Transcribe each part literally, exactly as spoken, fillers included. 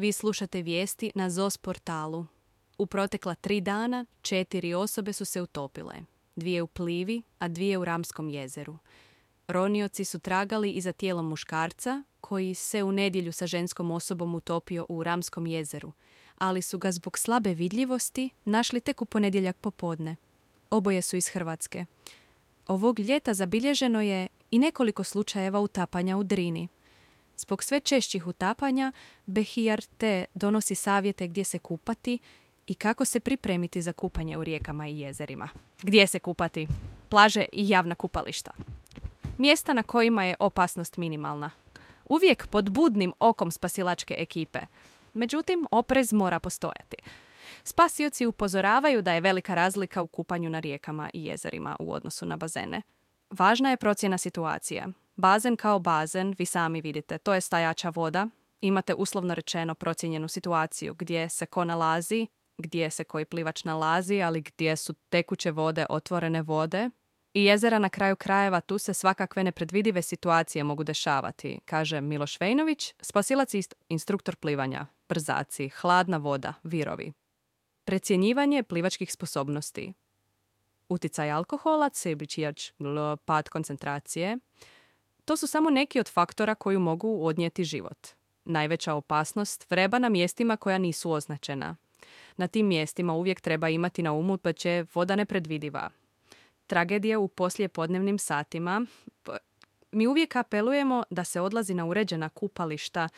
Vi slušate vijesti na Zos portalu. U protekla tri dana četiri osobe su se utopile. Dvije u Plivi, a dvije u Ramskom jezeru. Ronioci su tragali i za tijelom muškarca koji se u nedjelju sa ženskom osobom utopio u Ramskom jezeru, ali su ga zbog slabe vidljivosti našli tek u ponedjeljak popodne. Oboje su iz Hrvatske. Ovog ljeta zabilježeno je i nekoliko slučajeva utapanja u Drini. Zbog sve češćih utapanja, B H R T donosi savjete gdje se kupati i kako se pripremiti za kupanje u rijekama i jezerima. Gdje se kupati? Plaže i javna kupališta. Mjesta na kojima je opasnost minimalna. Uvijek pod budnim okom spasilačke ekipe. Međutim, oprez mora postojati. Spasioci upozoravaju da je velika razlika u kupanju na rijekama i jezerima u odnosu na bazene. Važna je procjena situacije. Bazen kao bazen, vi sami vidite, to je stajača voda. Imate uslovno rečeno procijenjenu situaciju gdje se ko nalazi, gdje se koji plivač nalazi, ali gdje su tekuće vode, otvorene vode. I jezera na kraju krajeva, tu se svakakve nepredvidive situacije mogu dešavati, kaže Miloš Vejnović, spasilac i instruktor plivanja, brzaci, hladna voda, virovi. Precjenjivanje plivačkih sposobnosti. Uticaj alkohola, sebričijač, pad koncentracije. To su samo neki od faktora koji mogu odnijeti život. Najveća opasnost vreba na mjestima koja nisu označena. Na tim mjestima uvijek treba imati na umu da će voda nepredvidiva. Tragedije u poslijepodnevnim satima. Mi uvijek apelujemo da se odlazi na uređena kupališta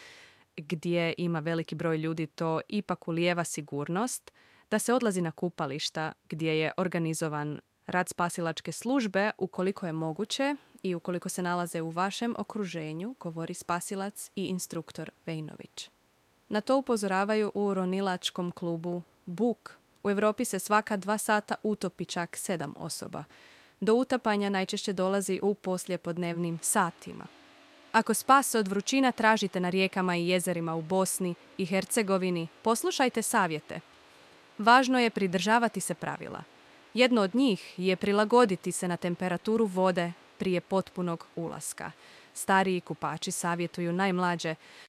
gdje ima veliki broj ljudi, to ipak ulijeva sigurnost, da se odlazi na kupališta gdje je organizovan rad spasilačke službe ukoliko je moguće i ukoliko se nalaze u vašem okruženju, govori spasilac i instruktor Vejnović. Na to upozoravaju u ronilačkom klubu Buk. U Europi se svaka dva sata utopi čak sedam osoba. Do utapanja najčešće dolazi u poslijepodnevnim satima. Ako spas od vrućina tražite na rijekama i jezerima u Bosni i Hercegovini, poslušajte savjete. Važno je pridržavati se pravila. Jedno od njih je prilagoditi se na temperaturu vode prije potpunog ulaska. Stariji kupači savjetuju najmlađe